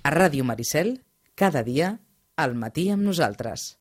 A Ràdio Maricel, cada dia, al matí amb nosaltres.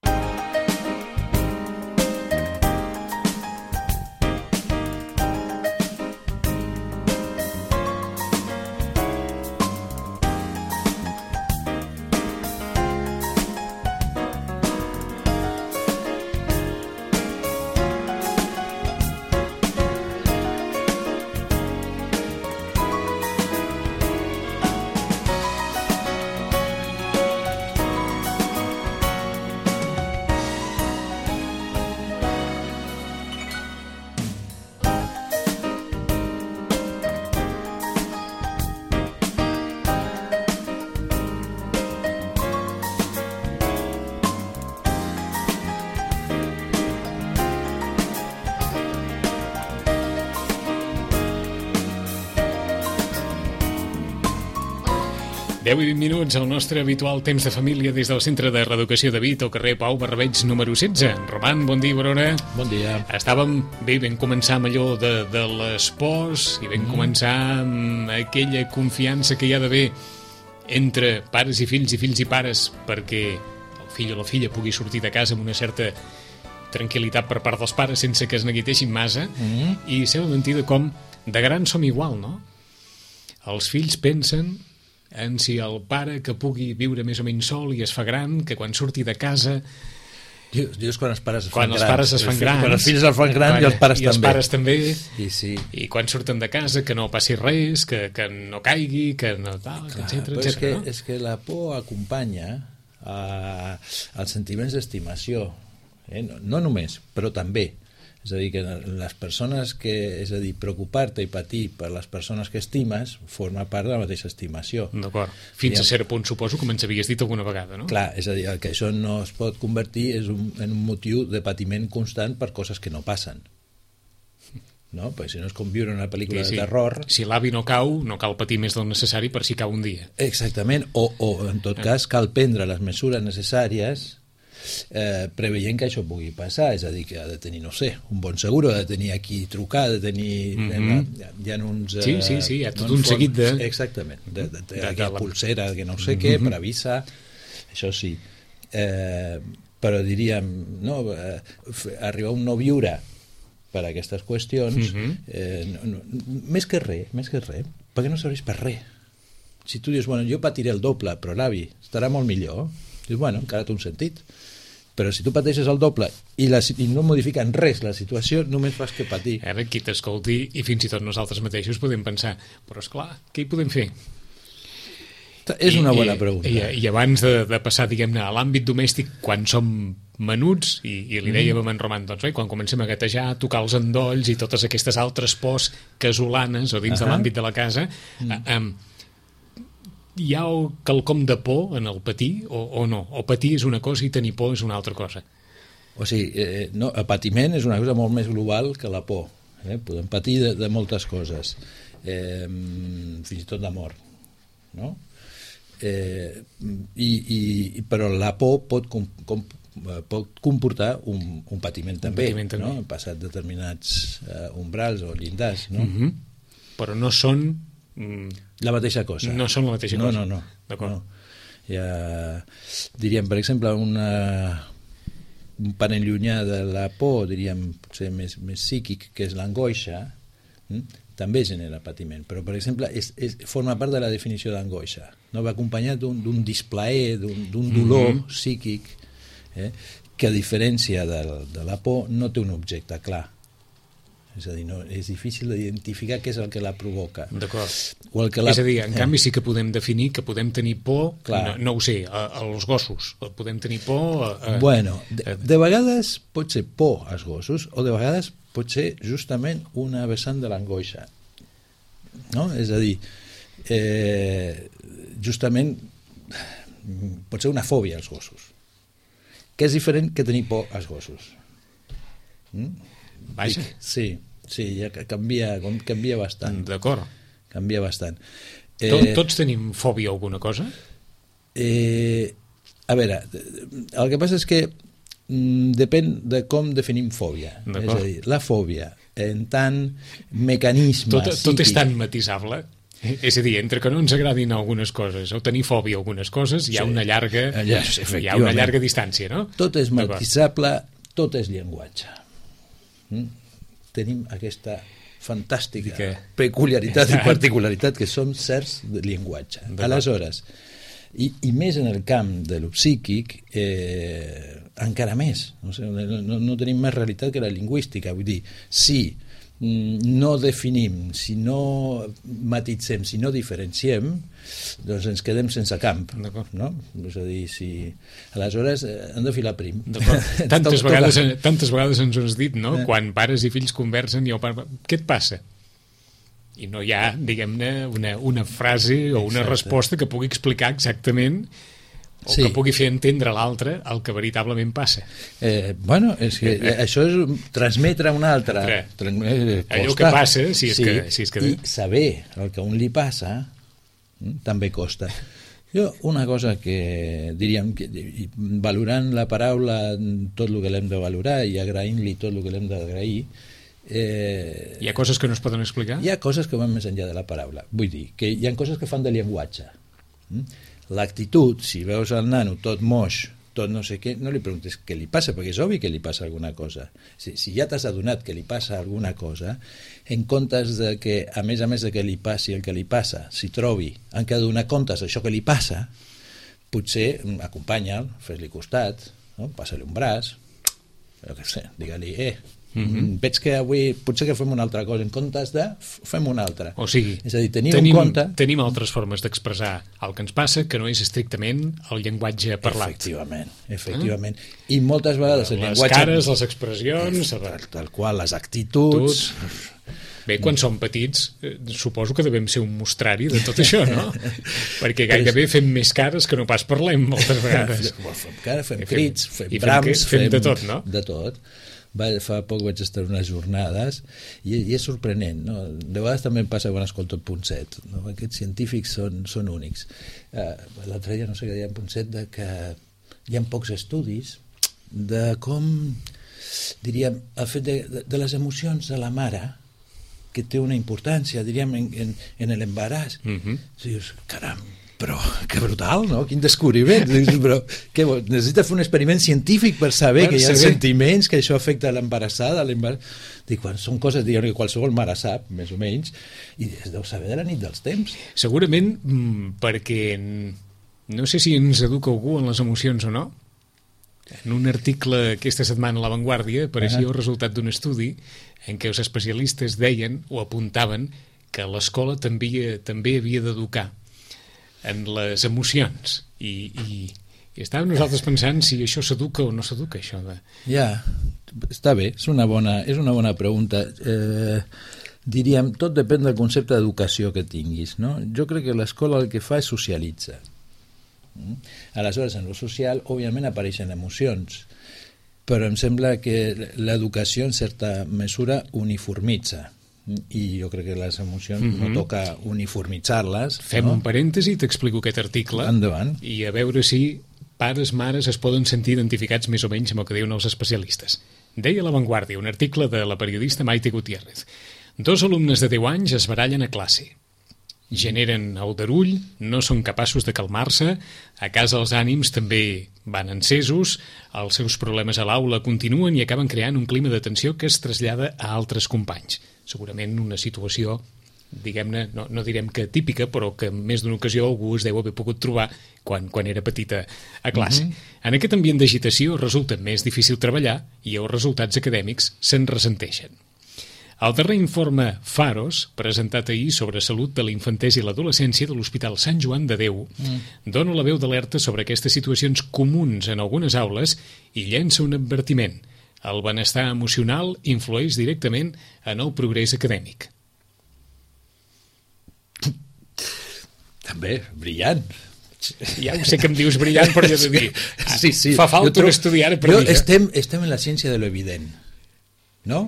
Deu i 20 minuts al nostre habitual temps de família des del Centre de Reeducació de Vic, al carrer Pau Barrabeig número 16. Roman, bon dia, Verona. Bon dia. Estàvem bé, vam començar amb allò de les pors i vam començar amb aquella confiança que hi ha d'haver entre pares i fills i pares perquè el fill o la filla pugui sortir de casa amb una certa tranquil·litat per part dels pares sense que es neguiteixin massa. I sembla mentida com de grans som igual, no? Els fills pensen en si el pare que pugui viure més o menys sol i es fa gran, que quan surti de casa... Dius quan els pares es fan grans. Quan els pares es fan grans. Quan els fills es fan grans i els pares també. I els pares també. I, sí. I quan surten de casa que no passi res, que no caigui, que no tal, etcètera, etcètera. És que la por acompanya als sentiments d'estimació. No només, però també. És a dir, que les persones és a dir, preocupar-te i patir per les persones que estimes forma part de la mateixa estimació. D'acord. Fins a cert punt, suposo, com ens havies dit alguna vegada, no? Clar, és a dir, el que això no es pot convertir és en un motiu de patiment constant per coses que no passen. No? Perquè si no és com viure una pel·lícula de terror... Si l'avi no cau, no cal patir més del necessari per si cau un dia. Exactament, o en tot cas cal prendre les mesures necessàries preveient que això pugui passar, és a dir, que ha de tenir, no sé, un bon seguro, ha de tenir a qui trucar, ha de tenir... Hi ha uns... Sí, hi ha tot un seguit de... Exactament, de pulsera, que no sé què, per avisar, això sí. Però diríem, no, arribar a un no viure per a aquestes qüestions, més que res, perquè no serveix per res. Si tu dius, bueno, jo patiré el doble, però l'avi estarà molt millor, dius, bueno, encara té un sentit. Però si tu pateixes el doble i no modifiquen res la situació, només fas que patir. Ara qui t'escolti, i fins i tot nosaltres mateixos podem pensar, però esclar, què hi podem fer? És una bona pregunta. I abans de passar, diguem-ne, a l'àmbit domèstic, quan som menuts, i li dèiem a en Roman, doncs, quan comencem a gatejar, tocar els endolls i totes aquestes altres pors casolanes o dins de l'àmbit de la casa, hi ha quelcom de por en el patir o no? O patir és una cosa i tenir por és una altra cosa? O sigui, no, el patiment és una cosa molt més global que la por. Podem patir de moltes coses, fins i tot de mort, no? Però la por pot comportar un patiment també, no? Hem passat determinats umbrals o llindars, no? Però no són la mateixa cosa. No són la mateixa cosa. No. D'acord. Diríem, per exemple, un parent llunyà de la por, diríem, potser més psíquic, que és l'angoixa, també genera patiment, però, per exemple, forma part de la definició d'angoixa. No? Va acompanyat d'un displaer, d'un dolor psíquic, que a diferència de la por no té un objecte clar. És a dir, és difícil d'identificar què és el que la provoca. D'acord. És a dir, en canvi sí que podem definir que podem tenir por, no ho sé, als gossos. Podem tenir por... Bueno, de vegades pot ser por als gossos o de vegades pot ser justament una vessant de l'angoixa. No? És a dir, justament pot ser una fòbia als gossos, que és diferent que tenir por als gossos. Vaja. Sí, ja canvia bastant. D'acord. Canvia bastant. Tots tenim fòbia a alguna cosa? A veure, el que passa és que depèn de com definim fòbia. És a dir, la fòbia, en tant mecanisme tot és tan matisable. És a dir, entre que no ens agradin algunes coses o tenir fòbia a algunes coses, hi ha una llarga distància, no? Tot és matisable, tot és llenguatge. Tenim aquesta fantàstica peculiaritat i particularitat que som certs de llenguatge. Aleshores, i més en el camp de lo psíquic, encara més. No tenim més realitat que la lingüística. Vull dir, si no definim, si no matitzem, si no diferenciem, doncs ens quedem sense camp, no? És a dir, aleshores hem de filar prim. Tantes vegades ens ho has dit, no? Quan pares i fills conversen i el pare... Què et passa? I no hi ha, diguem-ne, una frase o una resposta que pugui explicar exactament o que pugui fer entendre a l'altre el que veritablement passa. Bueno, és que això és transmetre a un altre. Allò que passa, si és que... I saber el que a un li passa també costa. Jo, una cosa que diríem, valorant la paraula tot el que l'hem de valorar i agraint-li tot el que l'hem d'agrair, hi ha coses que no es poden explicar? Hi ha coses que van més enllà de la paraula. Vull dir, que hi ha coses que fan de llenguatge. L'actitud, si veus el nano tot moix, tot no sé què, no li preguntes què li passa, perquè és obvi que li passa alguna cosa. Si ja t'has adonat que li passa alguna cosa, en comptes de que, a més de que li passi el que li passa, s'hi trobi, en què ha de donar comptes d'això que li passa, potser acompanya'l, fes-li costat, no? Passa-li un braç, jo què sé, digue-li, veig que avui potser que fem una altra cosa, en comptes de fem una altra. O sigui, és a dir, tenim altres formes d'expressar el que ens passa que no és estrictament el llenguatge parlat. Efectivament. I moltes vegades el llenguatge... Les cares, les expressions... Tal qual, les actituds... Bé, quan som petits, suposo que devem ser un mostrari de tot això, no? Perquè gairebé fem més cares que no pas parlem moltes vegades. Fem cares, fem crits, fem brams... Fem de tot, no? De tot. Fa poc vaig estar unes jornades i és sorprenent, no? De vegades també em passa quan escolto el Ponset, no? Aquests científics són únics. L'altre dia no sé què deia en Ponset, de que hi ha pocs estudis de com, diríem, el fet de les emocions de la mare, que té una importància, diríem, en l'embaràs. Dius, caram, però que brutal, no? Quin descobriment. Però necessites fer un experiment científic per saber que hi ha sentiments, que això afecta l'embarassada. Dic, són coses que qualsevol mare sap, més o menys, i es deu saber de la nit dels temps. Segurament perquè no sé si ens educa algú en les emocions o no. En un article aquesta setmana a La Vanguardia apareixia el resultat d'un estudi en què els especialistes deien o apuntaven que l'escola també havia d'educar en les emocions i estàvem nosaltres pensant si això s'educa o no s'educa, això de... Ja, està bé, és una bona pregunta. Diríem, tot depèn del concepte d'educació que tinguis, no? Jo crec que l'escola el que fa és socialitza. Aleshores, en lo social, òbviament apareixen emocions, però em sembla que l'educació en certa mesura uniformitza. I jo crec que les emocions no toca uniformitzar-les. Fem un parèntesi, t'explico aquest article. Endavant. I a veure si pares, mares es poden sentir identificats més o menys amb el que diuen els especialistes. Deia La Vanguardia, un article de la periodista Maite Gutiérrez. 2 alumnes de 10 anys es barallen a classe. Generen aldarull, no són capaços de calmar-se, a casa els ànims també van encesos, els seus problemes a l'aula continuen i acaben creant un clima de tensió que es trasllada a altres companys. Segurament una situació, diguem-ne, no direm que típica, però que en més d'una ocasió algú es deu haver pogut trobar quan era petita a classe. En aquest ambient d'agitació resulta més difícil treballar i els resultats acadèmics se'n ressenteixen. El darrer informe Pharos, presentat ahir sobre salut de la infantesa i l'adolescència de l'Hospital Sant Joan de Déu, dona la veu d'alerta sobre aquestes situacions comuns en algunes aules i llença un advertiment. El benestar emocional influeix directament en el progrés acadèmic. També, brillant. Ja ho sé que em dius brillant, però jo he de dir, fa falta estudiar per dir. Estem en la ciència de l'evident, no?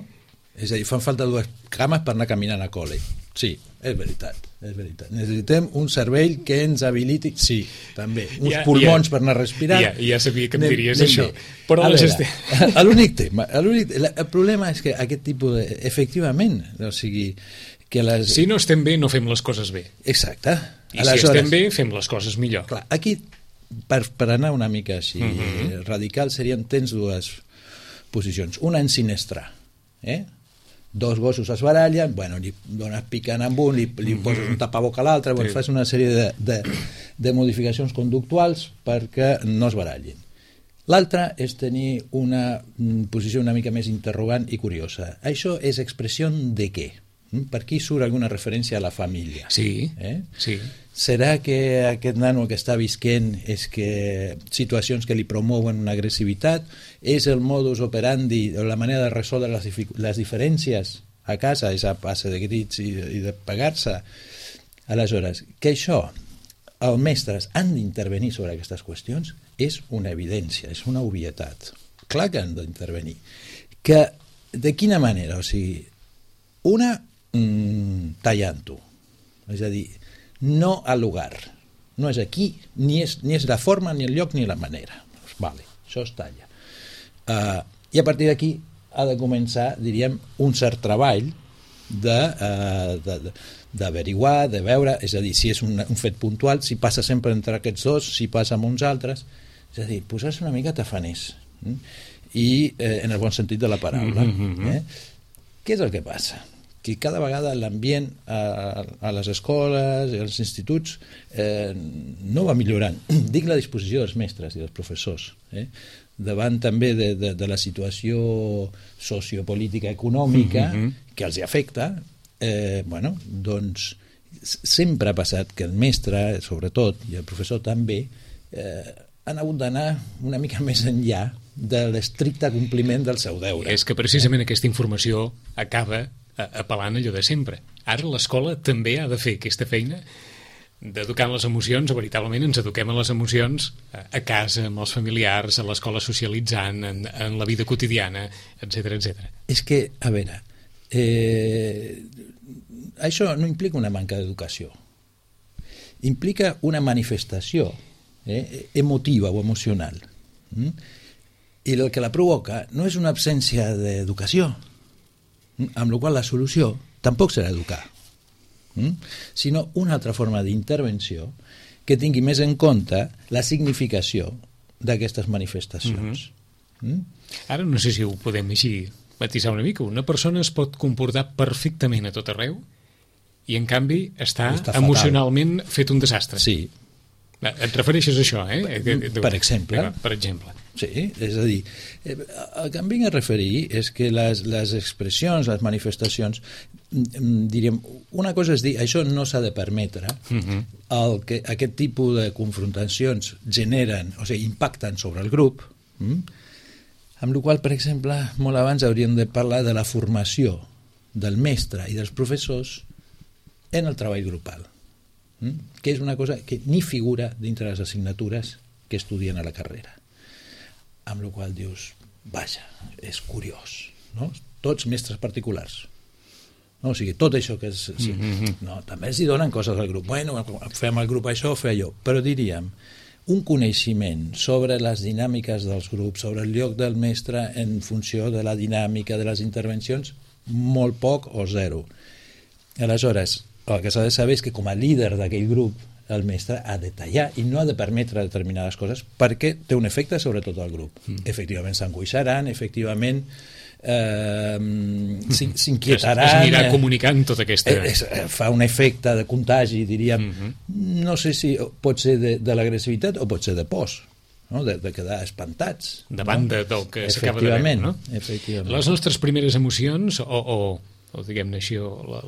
És a dir, fan falta 2 cames per anar caminant a col·le. Sí, és veritat. Necessitem un cervell que ens habiliti... Sí, també. Uns pulmons per anar a respirar. Ja sabia que em diries això. Però l'únic tema, el problema és que aquest tipus de... Efectivament, o sigui, que si no estem bé, no fem les coses bé. Exacte. I aleshores, si estem bé, fem les coses millor. Clar, aquí, per anar una mica així radical, tens dues posicions. Una ensinestrar, dos gossos es barallen, li dones picant amb un, li poses un tapaboca a l'altre, fas una sèrie de modificacions conductuals perquè no es barallin. L'altra és tenir una posició una mica més interrogant i curiosa. Això és expressió de què? Per aquí surt alguna referència a la família. Sí, sí. Serà que aquest nano que està visquent és que situacions que li promouen una agressivitat és el modus operandi o la manera de resoldre les diferències a casa, és a base de grits i de pegar-se? Aleshores, que això els mestres han d'intervenir sobre aquestes qüestions és una evidència, és una obvietat. Clar que han d'intervenir. Que, de quina manera? O sigui, una, tallant-ho. És a dir, no al lugar. No és aquí, ni és la forma, ni el lloc, ni la manera. Vale, això es talla. I a partir d'aquí ha de començar, diríem, un cert treball d'averiguar, de veure, és a dir, si és un fet puntual, si passa sempre entre aquests dos, si passa amb uns altres, és a dir, posar-se una mica tafaners, i en el bon sentit de la paraula. Què és el que passa? Que cada vegada l'ambient a les escoles i als instituts no va millorant. Dic la disposició dels mestres i dels professors, davant també de la situació sociopolítica econòmica que els afecta. Doncs sempre ha passat que el mestre, sobretot, i el professor també, han hagut d'anar una mica més enllà de l'estricte compliment del seu deure. És que precisament aquesta informació acaba apel·lant allò de sempre. Ara l'escola també ha de fer aquesta feina d'educar en les emocions, o veritablement ens eduquem en les emocions a casa, amb els familiars, a l'escola socialitzant, en la vida quotidiana, etc. És que, a veure, això no implica una manca d'educació. Implica una manifestació emotiva o emocional. I el que la provoca no és una absència d'educació, amb la qual la solució tampoc serà educar, sinó una altra forma d'intervenció que tingui més en compte la significació d'aquestes manifestacions. Ara no sé si ho podem així matisar una mica. Una persona es pot comportar perfectament a tot arreu i en canvi està emocionalment fet un desastre. Sí. Et refereixes a això, Per exemple. Per exemple. Sí, és a dir, el que em vinc a referir és que les expressions, les manifestacions, diríem, una cosa és dir, això no s'ha de permetre, que aquest tipus de confrontacions generen, o sigui, impacten sobre el grup, amb la qual, per exemple, molt abans hauríem de parlar de la formació del mestre i dels professors en el treball grupal, que és una cosa que ni figura dintre les assignatures que estudien a la carrera. Amb la qual dius, vaja, és curiós, no? Tots mestres particulars. No? O sigui, tot això que és... Sí. No, també els hi donen coses al grup. Bueno, fem al grup això, fem allò. Però diríem, un coneixement sobre les dinàmiques dels grups, sobre el lloc del mestre en funció de la dinàmica de les intervencions, molt poc o zero. Aleshores, el que s'ha de saber és que com a líder d'aquell grup el mestre ha de tallar i no ha de permetre determinades coses perquè té un efecte sobre tot el grup. Efectivament s'angoixaran, efectivament s'inquietaran. Es anirà comunicant tota aquesta... Fa un efecte de contagi, diríem. No sé si pot ser de l'agressivitat o pot ser de pors, no? De quedar espantats. Davant del que s'acaba de veure, no? Efectivament. Les nostres primeres emocions, o diguem-ne així,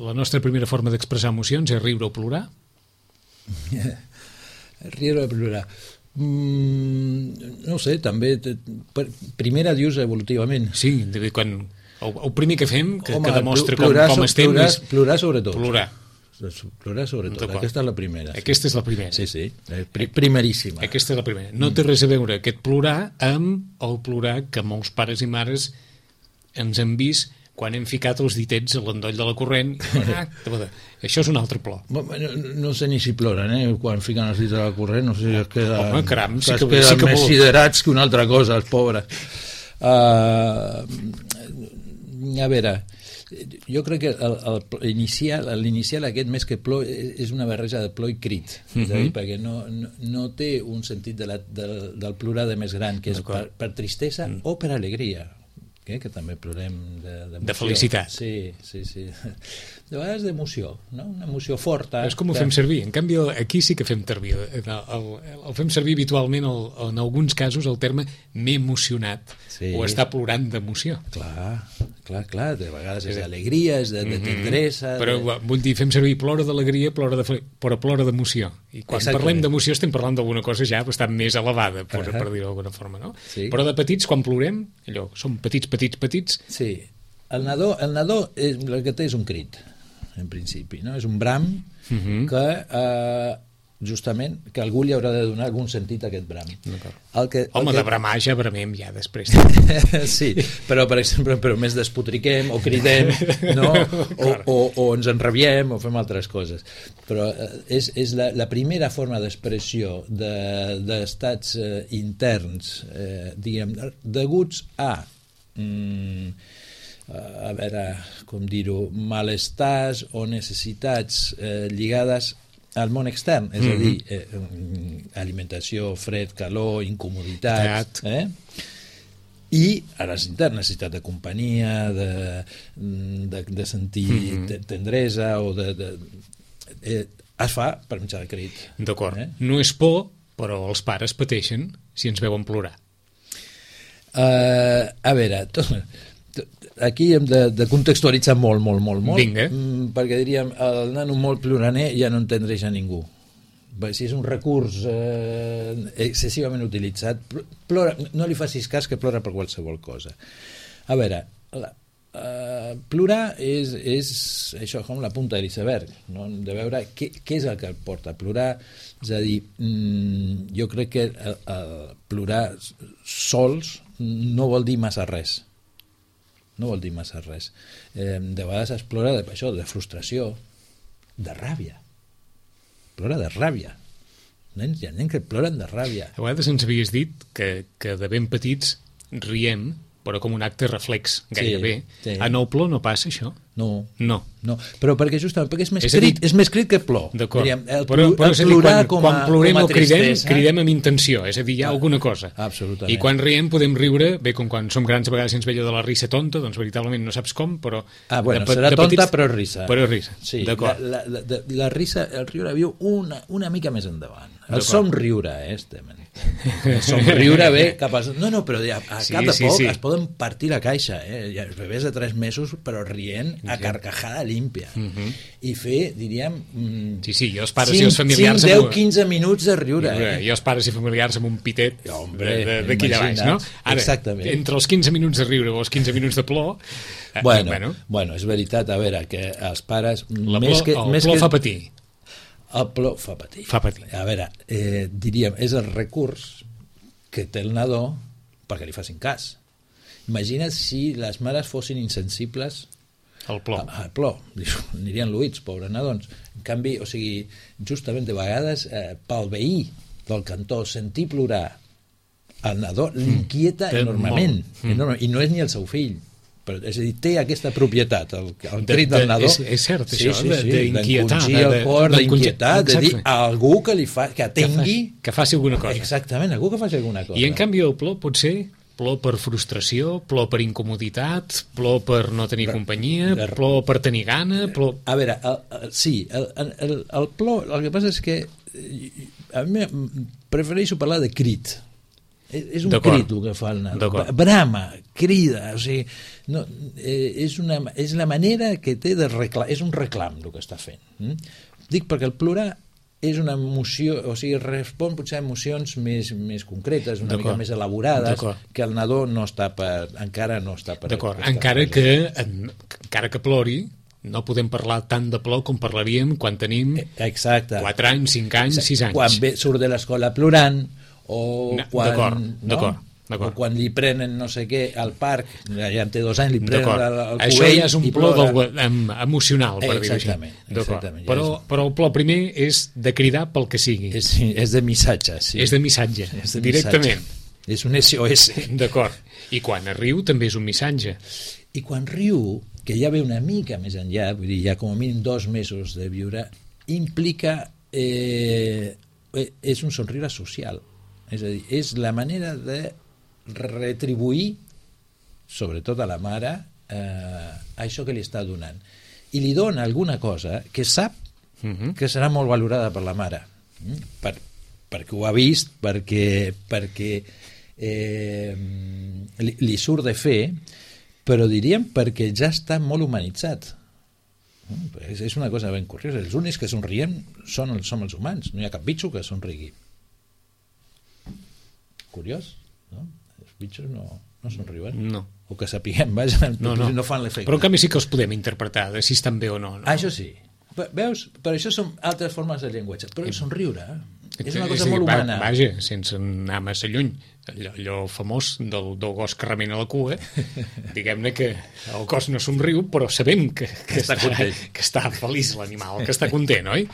la nostra primera forma d'expressar emocions és riure o plorar? Riure o plorar, no sé, també primera dius evolutivament. Sí, quan el primer que fem que demostra com estem és plorar sobretot. Plorar sobretot, aquesta és la primera. Aquesta és la primera. Sí, primeríssima. Aquesta és la primera. No té res a veure aquest plorar amb el plorar que molts pares i mares ens han vist quan hem ficat els ditets a l'endoll de la corrent. Això és un altre plor. No sé ni si ploren, quan fiquen els dits a la corrent, no sé si es queden, home, caram, sí que més siderats que una altra cosa, els pobres. A veure, Jo crec que l'inicial aquest, més que plor, és una barreja de plor i crit, és a dir, perquè no té un sentit del plorar de més gran, que és per tristesa o per alegria, que també plorem de felicitat. Sí. De vegades d'emoció, no? Una emoció forta. És com ho fem servir. En canvi, aquí sí que fem servir. El fem servir habitualment, en alguns casos, el terme m'he emocionat, o està plorant d'emoció. Clar. De vegades és d'alegria, és de tendresa... Però vull dir, fem servir plora d'alegria, però plora d'emoció. I quan parlem d'emoció estem parlant d'alguna cosa ja bastant més elevada, per dir-ho d'alguna forma, no? Però de petits, quan plorem, allò, som petits... Sí, el nadó el que té és un crit, en principi, no? És un bram que justament que algú li haurà de donar algun sentit a aquest bram. Home, de bramar ja bramem ja després. Sí, però per exemple més despotriquem o cridem, no? o ens enrabiem o fem altres coses. Però és la primera forma d'expressió d'estats interns, diguem, deguts a veure, com dir-ho, malestars o necessitats lligades al món extern, és a dir, alimentació, fred, calor, incomoditat, i a les internes, necessitat de companyia, de sentir tendresa, o es fa per mitjà de crit. D'acord. No és por, però els pares pateixen si ens veuen plorar. A veure, aquí hem de contextualitzar molt, Vinga. perquè diríem, el nano molt ploraner ja no entendreix a ningú. Si és un recurs excessivament utilitzat, plora, no li facis cas que plora per qualsevol cosa. A veure, plorar és això, com la punta de l'iceberg, no? De veure què és el que el porta a plorar. És a dir, jo crec que plorar sols no vol dir massa res. No vol dir massa res. De vegades es plora de frustració, de ràbia. Plora de ràbia. Hi ha nens que ploren de ràbia. A vegades ens havies dit que de ben petits riem, però com un acte reflex, gairebé. Sí. En el plor no passa això? No. Però perquè justament és més crit que plor. D'acord. El plorar quan plorem o tristesa, cridem amb intenció, és a dir, hi ha alguna cosa. Absolutament. I quan riem podem riure, bé, com quan som grans a vegades ens ve allò de la risa tonta, doncs veritablement no saps com, però... serà tonta però risa. Però risa, sí, d'acord. La risa, el riure viu una mica més endavant. El somriure, el somriure ve cap a... No, però a cap de poc es poden partir la caixa, els bebès de 3 mesos però rient a carcajada límpia, i fer, diríem, jo els pares i els familiars 5, 10, 15 minuts de riure, i els pares i familiars amb un pitet d'aquí de baix, no? Ara, exactament. Entre els 15 minuts de riure o els 15 minuts de plor, bueno, és veritat, a veure, que els pares el plor fa patir. El plor fa patir. A veure, diríem, és el recurs que té el nadó perquè li facin cas. Imagina't si les mares fossin insensibles al plor. Anirien lluïts, pobres nadons. En canvi, o sigui, justament de vegades pel veí del cantó sentir plorar el nadó l'inquieta enormement, i no és ni el seu fill. És a dir, té aquesta propietat, el crit del nadó. És cert, això, d'inquietar. D'encongir el cor, d'inquietar, de dir a algú que atengui... Que faci alguna cosa. Exactament, algú que faci alguna cosa. I en canvi el plor pot ser plor per frustració, plor per incomoditat, plor per no tenir companyia, plor per tenir gana, plor... A veure, sí, el plor, el que passa és que a mi prefereixo parlar de crit. És un crit el que fa el nadó. Brama, crida, o sigui, no, és la manera que té de reclamar, és un reclam el que està fent. Dic perquè el plorar és una emoció, o sigui, respon potser a emocions més concretes, una mica més elaborades, que el nadó encara no està per... D'acord, encara que plori, no podem parlar tant de plor com parlaríem quan tenim 4 anys, 5 anys, 6 anys. Quan surt de l'escola plorant, o quan... D'acord. O quan li prenen no sé què al parc, ja en té 2 anys, li prenen el cubell. Això ja és un plor emocional, per dir-ho així. Exactament. Però el plor primer és de cridar pel que sigui. És de missatge, sí. És de missatge, directament. És un SOS. D'acord. I quan riu també és un missatge. I quan riu que ja ve una mica més enllà, vull dir, ja com a mínim 2 mesos de viure, implica és un somriure social, és a dir, és la manera de retribuir sobretot a la mare això que li està donant, i li dona alguna cosa que sap que serà molt valorada per la mare, perquè ho ha vist, perquè li surt de fer, però diríem perquè ja està molt humanitzat. És una cosa ben curiosa. Els únics que somriem som els humans, no hi ha cap bitxo que somrigui. Curiós, no? Els bitxos no somriuen. No. O que sapiguem, vaja, no fan l'efecte. Però en canvi sí que els podem interpretar, de si estan bé o no. Això sí. Veus? Per això són altres formes de llenguatge. Però el somriure és una cosa molt humana. Vaja, sense anar massa lluny. Allò famós del gos que remena la cua, diguem-ne que el gos no somriu, però sabem que està feliç l'animal, que està content, oi?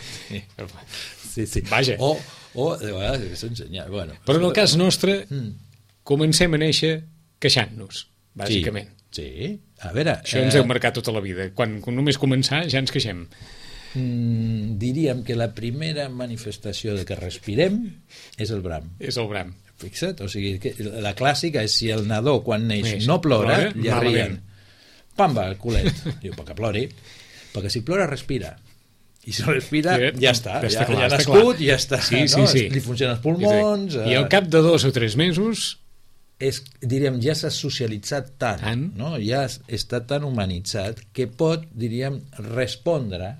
Sí. Vaja. O de vegades s'ensenya. Bueno. Però en el cas nostre, comencem a néixer queixant-nos, bàsicament. Sí. A veure... Això ens heu marcat tota la vida. Quan només començar ja ens queixem. Diríem que la primera manifestació de que respirem és el bram. És el bram. Fixa't, o sigui, que la clàssica és si el nadó quan neix no plora, ja rient. Pamba, el culet. Diu, perquè plori. Perquè si plora, respira. I si respira, ja està. Ja ha nascut, ja està. Sí. Li funcionen els pulmons... I al cap de 2 o 3 mesos... diríem, ja s'ha socialitzat tant, no? Ja està tan humanitzat que pot, diríem, respondre,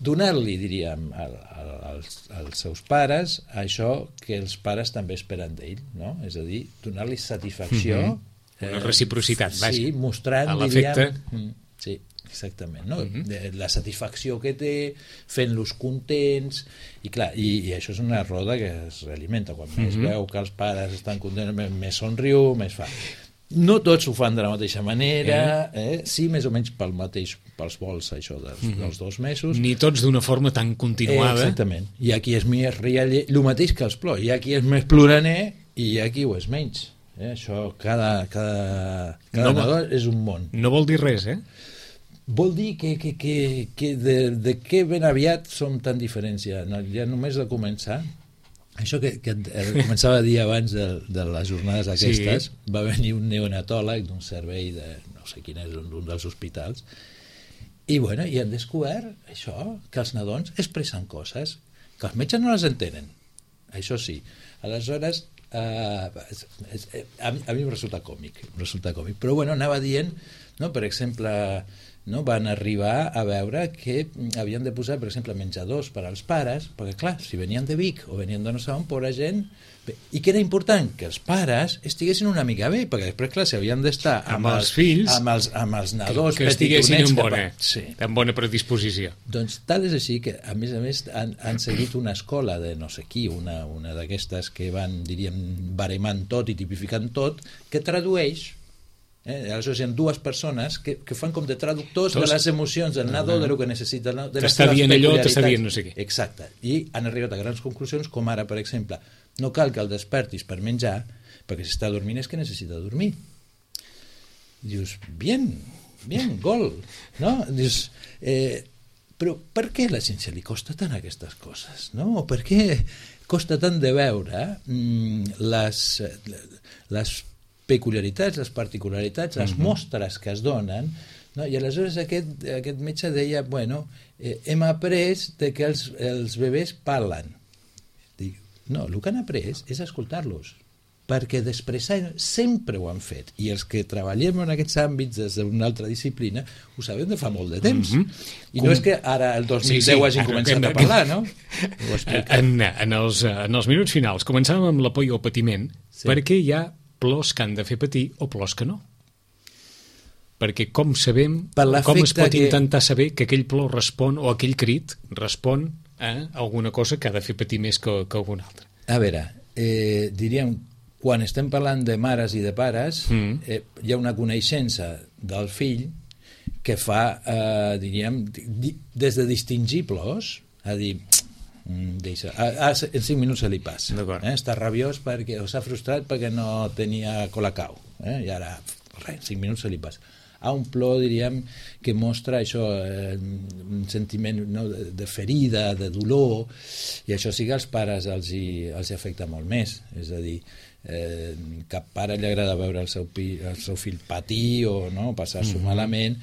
donar-li, diríem, als seus pares això que els pares també esperen d'ell, no? És a dir, donar-li satisfacció. Una reciprocitat, vaja. Sí, mostrant, diríem... Sí, exactament, no? La satisfacció que té, fent-los contents, i clar, i això és una roda que es realimenta. Quan més veu que els pares estan contents, més somriu, més fa. No tots ho fan de la mateixa manera, sí, més o menys pels vols, això dels 2 mesos. Ni tots d'una forma tan continuada. Exactament. Hi ha qui és més rialler, el mateix que els plors. Hi ha qui és més ploraner i hi ha qui ho és menys. Això, cada nadó és un món. No vol dir res, Vol dir que de què ben aviat som tan diferents ja només de començar. Això que començava a dir abans de les jornades aquestes, va venir un neonatòleg d'un servei de no sé quin és, un dels hospitals, i han descobert això, que els nadons expressen coses que els metges no les entenen, això sí. Aleshores a mi em resulta còmic, però anava dient, no, per exemple, no, van arribar a veure que havien de posar, per exemple, menjadors per als pares, perquè clar, si venien de Vic o venien de no sé on, pobra gent, i que era important que els pares estiguessin una mica bé, perquè després, clar, si havien d'estar amb els fills, amb els nadons que estiguessin en bona predisposició. Doncs tal és així que, a més, han seguit una escola de no sé qui, una d'aquestes que van, diríem, baremant tot i tipificant tot, que tradueix. Aleshores hi ha 2 persones que fan com de traductors de les emocions del nadó, de lo que necessita el nadó, de les seves peculiaritats. T'està dient no sé què. Exacte. I han arribat a grans conclusions, com ara, per exemple, no cal que el despertis per menjar, perquè si està dormint és que necessita dormir. Dius, bien, gol, no? Dius, però per què a la gent se li costa tant aquestes coses, no? O per què costa tant de veure les peculiaritats, les particularitats, les mostres que es donen, no? I aleshores aquest metge deia, hem après que els bebès parlen. Dic, no, el que han après és escoltar-los, perquè d'expressar sempre ho han fet, i els que treballem en aquests àmbits des d'una altra disciplina ho sabem de fa molt de temps, i no és que ara el 2010 hagin començat a parlar, no? En els minuts finals començàvem amb la por i el patiment, perquè hi ha plors que han de fer patir o plors que no. Perquè com sabem, com es pot intentar saber que aquell plor respon o aquell crit respon a alguna cosa que ha de fer patir més que alguna altra? A veure, diríem, quan estem parlant de mares i de pares, hi ha una coneixença del fill que fa, diríem, des de distingir plors, a dir... deixa, en 5 minuts se li passa, està rabiós perquè s'ha frustrat perquè no tenia colacao, i ara res, en 5 minuts se li passa, a un plor, diríem, que mostra això, un sentiment, no, de ferida, de dolor, i això sí que als pares els afecta molt més. És a dir, cap pare li agrada veure el seu fill patir o no, passar-s'ho malament,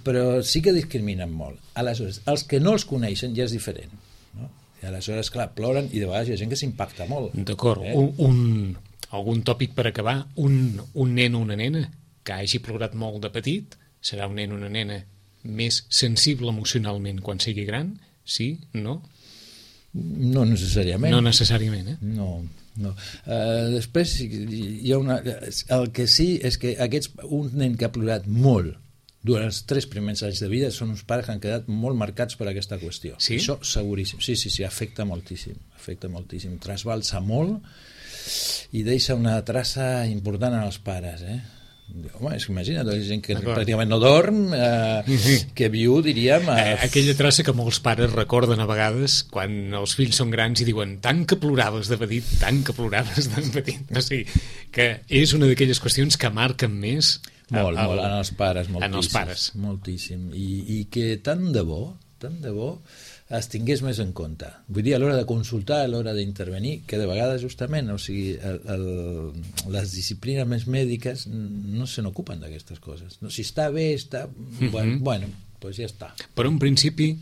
però sí que discriminen molt. Aleshores, els que no els coneixen ja és diferent, no? I aleshores, clar, ploren i de vegades hi ha gent que s'impacta molt. D'acord. Algun tòpic per acabar? Un nen o una nena que hagi plorat molt de petit serà un nen o una nena més sensible emocionalment quan sigui gran? Sí? No? No necessàriament. No necessàriament, No. Després hi ha el que sí és que un nen que ha plorat molt durant els 3 primers anys de vida són uns pares que han quedat molt marcats per aquesta qüestió. Sí? Això seguríssim. Sí, afecta moltíssim. Trasbalsa molt i deixa una traça important en els pares, Home, imagina't, hi ha gent que pràcticament no dorm, que viu, diríem... Aquella traça que molts pares recorden a vegades quan els fills són grans i diuen tant que ploraves de petit, tant que ploraves de petit. O sigui, que és una d'aquelles qüestions que marquen més... Molt, en els pares, moltíssim. En els pares. Moltíssim. I que tant de bo es tingués més en compte. Vull dir, a l'hora de consultar, a l'hora d'intervenir, que de vegades justament, o sigui, les disciplines més mèdiques no se n'ocupen d'aquestes coses. No, si està bé, està... Bueno, doncs ja està. Però en principi,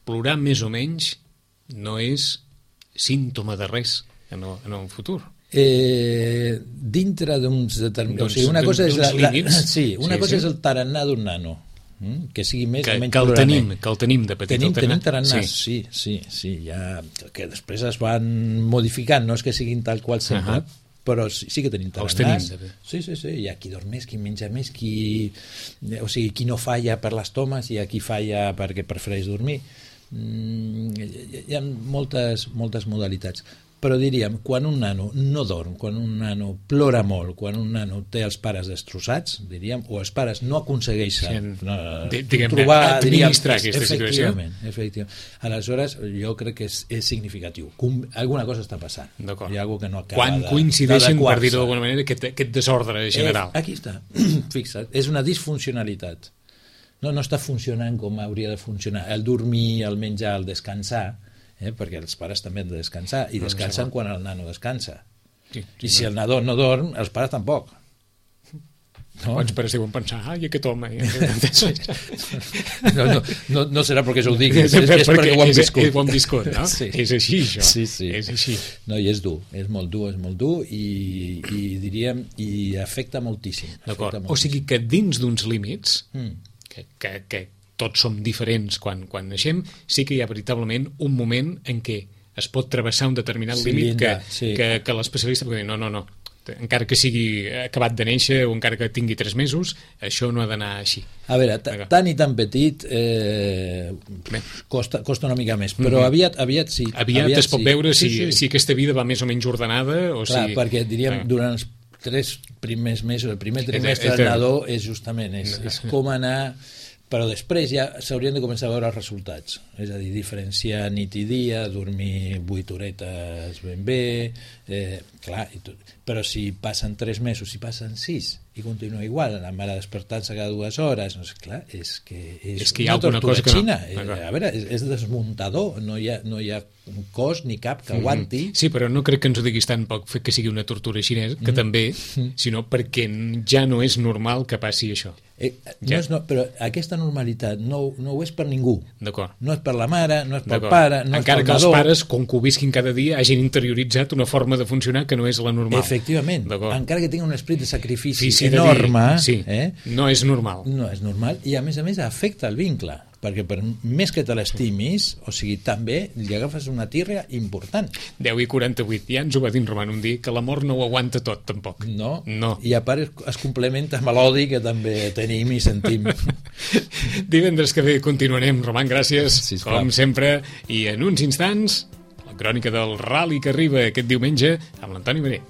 plorar més o menys no és símptoma de res en el futur. Dintre d'uns determinats... O sigui, una cosa és cosa és el tarannà d'un nano, que sigui més o menys plorament. Que el tenim de petit. Tenim tarannàs, sí, ja, que després es van modificant, no és que siguin tal qual sempre, però sí que tenim tarannàs. Sí, hi ha qui dorm més, qui menja més, qui no falla per les tomes i qui falla perquè prefereix dormir. Hi ha moltes modalitats. Però diríem, quan un nano no dorm, quan un nano plora molt, quan un nano té els pares destrossats, diríem, o els pares no aconsegueixen trobar, administrar aquesta situació. Efectivament. Aleshores, jo crec que és significatiu. Alguna cosa està passant. D'acord. Hi ha alguna cosa que no acaba quan coincideixen, per dir-ho d'alguna manera, aquest desordre general. Aquí està. Fixa't, és una disfuncionalitat. No està funcionant com hauria de funcionar. El dormir, el menjar, el descansar, perquè els pares també han de descansar i descansen quan el nano descansa i si el nadó no dorm, els pares tampoc. Quants pares deuen pensar aquest home no serà perquè jo ho digui, és perquè ho hem viscut, no? És així això, és així. No, i és dur, és molt dur i diríem, i afecta moltíssim. O sigui que dins d'uns límits que tots som diferents quan naixem, sí que hi ha veritablement un moment en què es pot travessar un determinat límit que l'especialista pot dir no, encara que sigui acabat de néixer o encara que tingui 3 mesos, això no ha d'anar així. A veure, tan i tan petit costa una mica més, però aviat sí. Aviat es pot veure si aquesta vida va més o menys ordenada o clar, perquè diríem, durant els 3 primers mesos, el primer trimestre del nadó és justament, és com anar... Però després ja s'haurien de començar a veure els resultats, és a dir, diferenciar nit i dia, dormir 8 horetes ben bé, clar, però si passen 3 mesos, si passen 6 i continua igual, la mare despertant-se cada 2 hores, no sé, clar, és que hi ha alguna cosa que xina. A veure, és desmuntador, no hi ha un cos ni cap que aguanti. Sí, però no crec que ens ho diguis tant poc que sigui una tortura xinesa, que també, sinó perquè ja no és normal que passi això. Però aquesta normalitat no ho és per ningú. D'acord. No és per la mare, no és pel pare, no és pel nadó. Encara que els pares, com que ho visquin cada dia, hagin interioritzat una forma de funcionar que no és la normal. Efectivament. Encara que tinguin un esperit de sacrifici enorme, no és normal. No és normal i a més afecta el vincle, perquè per més que te l'estimis, o sigui, també li agafes una tírria important. 10:48, ja ens ho va dir en Roman un dia, que l'amor no ho aguanta tot, tampoc. No. I a part es complementa amb l'odi que també tenim i sentim. Divendres que ve continuarem. Roman, gràcies, com sempre, i en uns instants, la crònica del Rally que arriba aquest diumenge amb l'Antoni Marer.